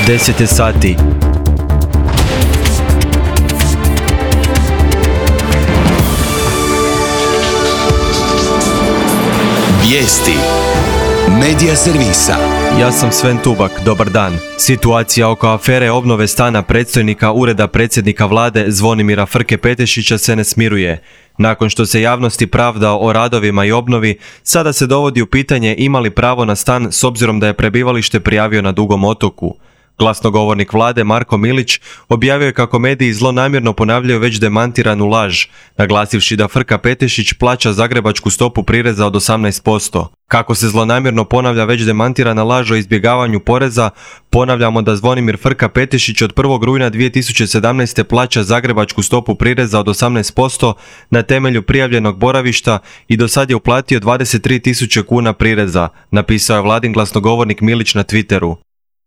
10 sati. Vijesti Medija servisa. Ja sam Sven Tubak, dobar dan. Situacija oko afere obnove stana predstojnika Ureda predsjednika vlade Zvonimira Frke-Petešića se ne smiruje. Nakon što se javnosti pravdao o radovima i obnovi, sada se dovodi u pitanje ima li pravo na stan s obzirom da je prebivalište prijavio na Dugom otoku. Glasnogovornik vlade Marko Milić objavio je kako mediji zlonamjerno ponavljaju već demantiranu laž, naglasivši da Frka-Petešić plaća zagrebačku stopu prireza od 18%. Kako se zlonamjerno ponavlja već demantirana laž o izbjegavanju poreza, ponavljamo da Zvonimir Frka-Petešić od 1. rujna 2017. plaća zagrebačku stopu prireza od 18% na temelju prijavljenog boravišta i do sad je uplatio 23.000 kuna prireza, napisao je vladin glasnogovornik Milić na Twitteru.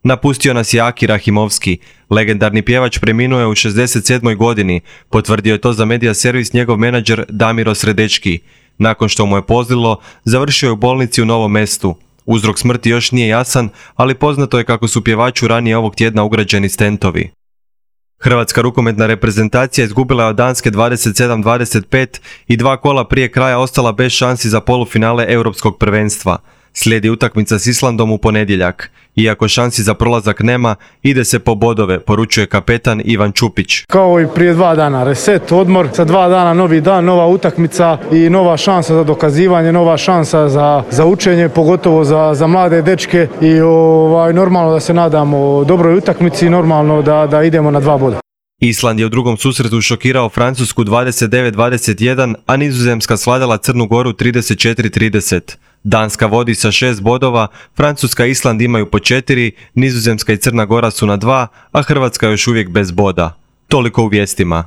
Napustio nas je Aki Rahimovski. Legendarni pjevač preminuo je u 67. godini, potvrdio je to za medija servis njegov menadžer Damiro Sredečki. Nakon što mu je pozlilo, završio je u bolnici u Novom Mestu. Uzrok smrti još nije jasan, ali poznato je kako su pjevaču ranije ovog tjedna ugrađeni stentovi. Hrvatska rukometna reprezentacija izgubila je od Danske 27-25 i 2 kola prije kraja ostala bez šansi za polufinale Europskog prvenstva. Slijedi utakmica s Islandom u ponedjeljak. Iako šansi za prolazak nema, ide se po bodove, poručuje kapetan Ivan Čupić. Kao i prije 2 dana, reset, odmor, za 2 dana novi dan, nova utakmica i nova šansa za dokazivanje, nova šansa za učenje, pogotovo za mlade dečke i normalno da se nadamo dobroj utakmici i normalno da idemo na 2 boda. Island je u drugom susretu šokirao Francusku 29-21, a Nizozemska svladala Crnu Goru 34-30. Danska vodi sa 6 bodova, Francuska i Island imaju po 4, Nizozemska i Crna Gora su na 2, a Hrvatska još uvijek bez boda. Toliko u vijestima.